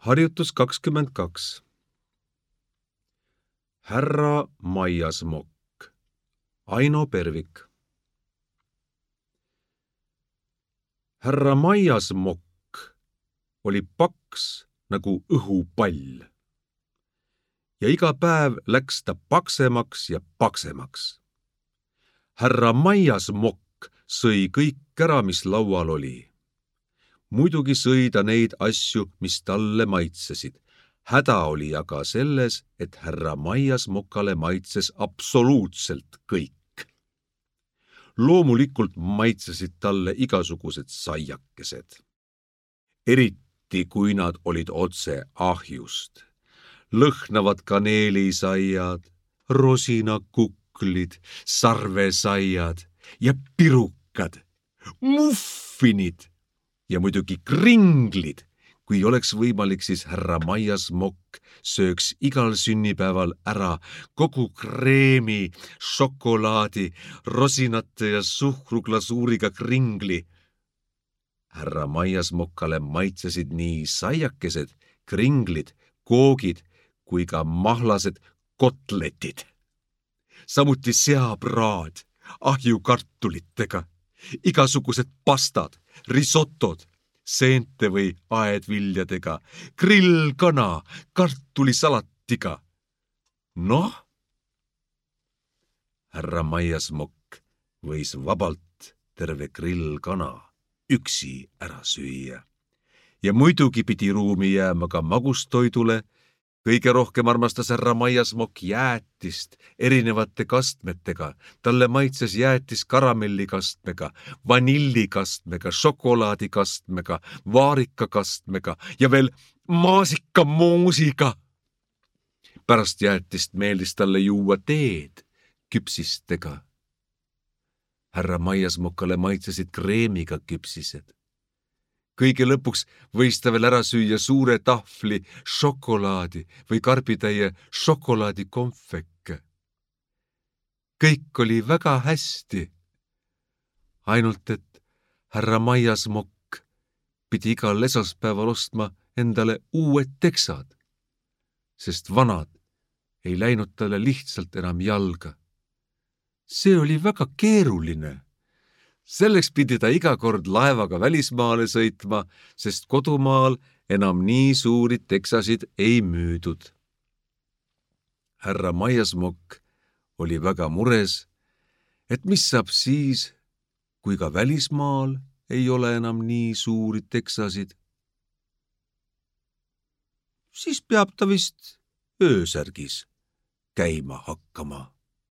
Harjutus 22. Härra Maiasmokk, Aino Pervik. Härra Maiasmokk oli paks nagu õhupall. Ja iga päev läks ta paksemaks ja paksemaks. Härra Maiasmokk sõi kõik ära, mis laual oli. Muidugi sõi ta neid asju, mis talle maitsesid. Häda oli aga selles, et härra Maiasmokale maitses absoluutselt kõik. Loomulikult maitsesid talle igasugused saiakesed. Eriti kui nad olid otse ahjust. Lõhnavad kaneelisaiad, rosinakuklid, sarvesaiad ja pirukad, muffinid ja muidugi kringlid. Kui oleks võimalik, siis härra Maiasmokk sööks igal sünnipäeval ära kogu kreemi, šokolaadi, rosinate ja suhkruglasuuriga kringli. Härra Maiasmokale maitsesid nii saiakesed, kringlid, koogid kui ka mahlased kotletid. Samuti seapraad, ahjukartulitega, igasugused pastad, risotod, seente või aedviljadega, grillkana, kartulisalatiga. Noh, härra Maiasmokk võis vabalt terve grillkana üksi ära süüa. Ja muidugi pidi ruumi jääma ka magustoidule. Kõige rohkem armastas härra Maiasmokk jäätist erinevate kastmetega. Talle maitses jäätis karamellikastmega, vanillikastmega, šokolaadikastmega, vaarikakastmega ja veel maasikamoosiga. Pärast jäätist meeldis talle juua teed küpsistega. Härra Maiasmokale maitsesid kreemiga küpsised. Kõige lõpuks võis ta veel ära süüa suure tahvli šokolaadi või karbitäie šokolaadikonfekke. Kõik oli väga hästi. Ainult et härra Maiasmokk pidi igal esmaspäeval ostma endale uued teksad, sest vanad ei läinud talle lihtsalt enam jalga. See oli väga keeruline. Selleks pidi ta iga kord laevaga välismaale sõitma, sest kodumaal enam nii suuri teksasid ei müüdud. Härra Maiasmokk oli väga mures, et mis saab siis, kui ka välismaal ei ole enam nii suuri teksasid. Siis peab ta vist öösärgis käima hakkama.